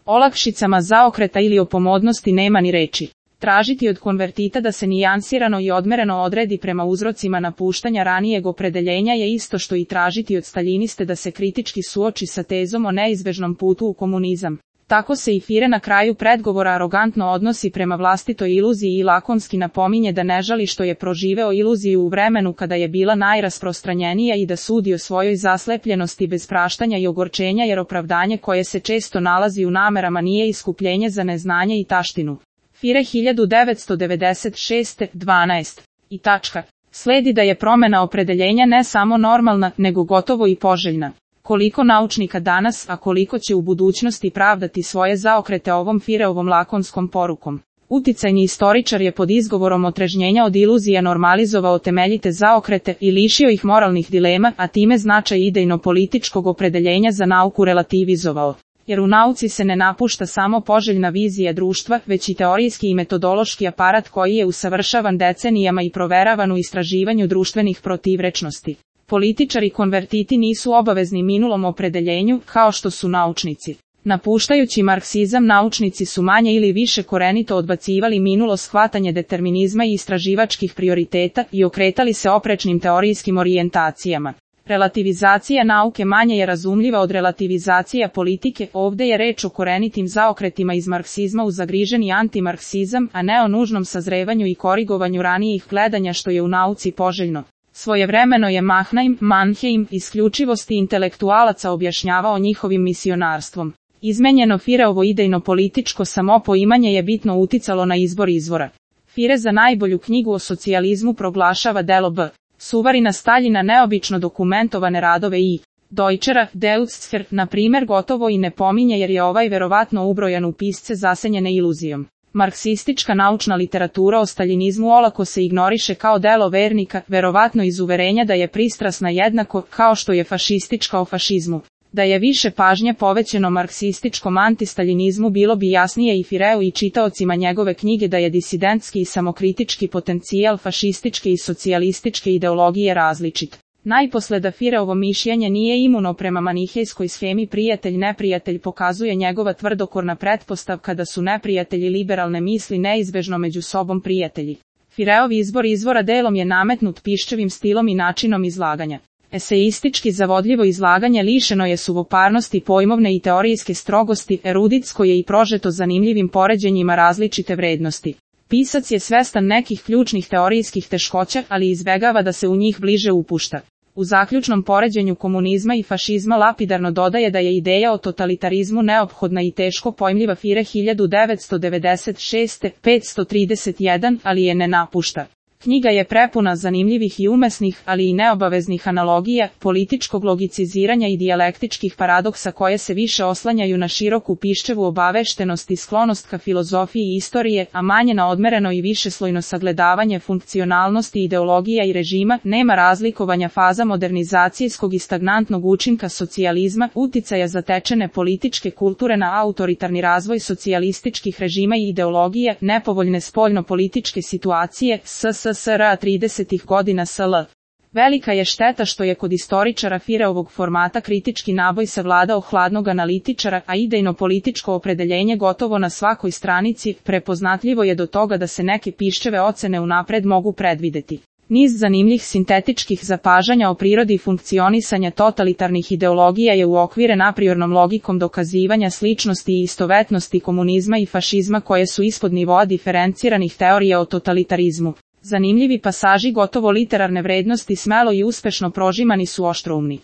olakšicama zaokreta ili o pomodnosti nema ni reči. Tražiti od konvertita da se nijansirano i odmereno odredi prema uzrocima napuštanja ranijeg opredeljenja je isto što i tražiti od staljiniste da se kritički suoči sa tezom o neizbežnom putu u komunizam. Tako se i Fire na kraju predgovora arogantno odnosi prema vlastitoj iluziji i lakonski napominje da ne žali što je proživeo iluziju u vremenu kada je bila najrasprostranjenija i da sudi o svojoj zaslepljenosti bez praštanja i ogorčenja jer opravdanje koje se često nalazi u namerama nije iskupljenje za neznanje i taštinu. Fire 1996. 12. I tačka. Sledi da je promjena opredeljenja ne samo normalna, nego gotovo i poželjna. Koliko naučnika danas, a koliko će u budućnosti pravdati svoje zaokrete ovom Fireovom lakonskom porukom. Uticajni istoričar je pod izgovorom otrežnjenja od iluzija normalizovao temeljite zaokrete i lišio ih moralnih dilema, a time značaj idejno-političkog opredeljenja za nauku relativizovao. Jer u nauci se ne napušta samo poželjna vizija društva, već i teorijski i metodološki aparat koji je usavršavan decenijama i proveravan u istraživanju društvenih protivrečnosti. Političari konvertiti nisu obavezni minulom opredeljenju, kao što su naučnici. Napuštajući marksizam, naučnici su manje ili više korenito odbacivali minulo shvatanje determinizma i istraživačkih prioriteta i okretali se oprečnim teorijskim orijentacijama. Relativizacija nauke manje je razumljiva od relativizacija politike, ovdje je reč o korenitim zaokretima iz marksizma u zagriženi antimarksizam, a ne o nužnom sazrevanju i korigovanju ranijih gledanja što je u nauci poželjno. Svojevremeno je Mannheim isključivosti intelektualaca objašnjavao njihovim misionarstvom. Izmenjeno Fireovo idejno-političko samopoimanje je bitno uticalo na izbor izvora. Fire za najbolju knjigu o socijalizmu proglašava delo B. Suvarina Staljina neobično dokumentovane radove i Deutschera, Deutscher, na primjer gotovo i ne pominje jer je ovaj verovatno ubrojan u pisce zasenjene iluzijom. Marksistička naučna literatura o staljinizmu olako se ignoriše kao delo vernika, verovatno iz uverenja da je pristrasna jednako kao što je fašistička o fašizmu. Da je više pažnje povećeno marksističkom antistaljinizmu bilo bi jasnije i Fireu i čitaocima njegove knjige da je disidentski i samokritički potencijal fašističke i socijalističke ideologije različit. Najposle da Fireovo mišljenje nije imuno prema manihejskoj shemi prijatelj-neprijatelj pokazuje njegova tvrdokorna pretpostavka da su neprijatelji liberalne misli neizbežno među sobom prijatelji. Fireov izbor izvora delom je nametnut Piščevim stilom i načinom izlaganja. Eseistički zavodljivo izlaganje lišeno je suvoparnosti pojmovne i teorijske strogosti, eruditsko je i prožeto zanimljivim poređenjima različite vrednosti. Pisac je svestan nekih ključnih teorijskih teškoća, ali izbegava da se u njih bliže upušta. U zaključnom poređenju komunizma i fašizma lapidarno dodaje da je ideja o totalitarizmu neophodna i teško pojmljiva Fire 1996. 531, ali je ne napušta. Knjiga je prepuna zanimljivih i umesnih, ali i neobaveznih analogija, političkog logiciziranja i dijalektičkih paradoksa koje se više oslanjaju na široku Piščevu obaveštenost i sklonost ka filozofiji istorije, a manje na odmereno i višeslojno sagledavanje funkcionalnosti ideologija i režima, nema razlikovanja faza modernizacijskog i stagnantnog učinka socijalizma, uticaja zatečene političke kulture na autoritarni razvoj socijalističkih režima i ideologija, nepovoljne spoljno-političke situacije, SSSR 30. godina SL. Velika je šteta što je kod istoričara Fireovog formata kritički naboj savladao hladnog analitičara, a idejno-političko opredeljenje gotovo na svakoj stranici, prepoznatljivo je do toga da se neke Piščeve ocene unapred mogu predvideti. Niz zanimljivih sintetičkih zapažanja o prirodi funkcionisanja totalitarnih ideologija je uokviren apriornom logikom dokazivanja sličnosti i istovetnosti komunizma i fašizma koje su ispod nivoa diferenciranih teorija o totalitarizmu. Zanimljivi pasaži gotovo literarne vrednosti smelo i uspešno prožimani su oštroumni.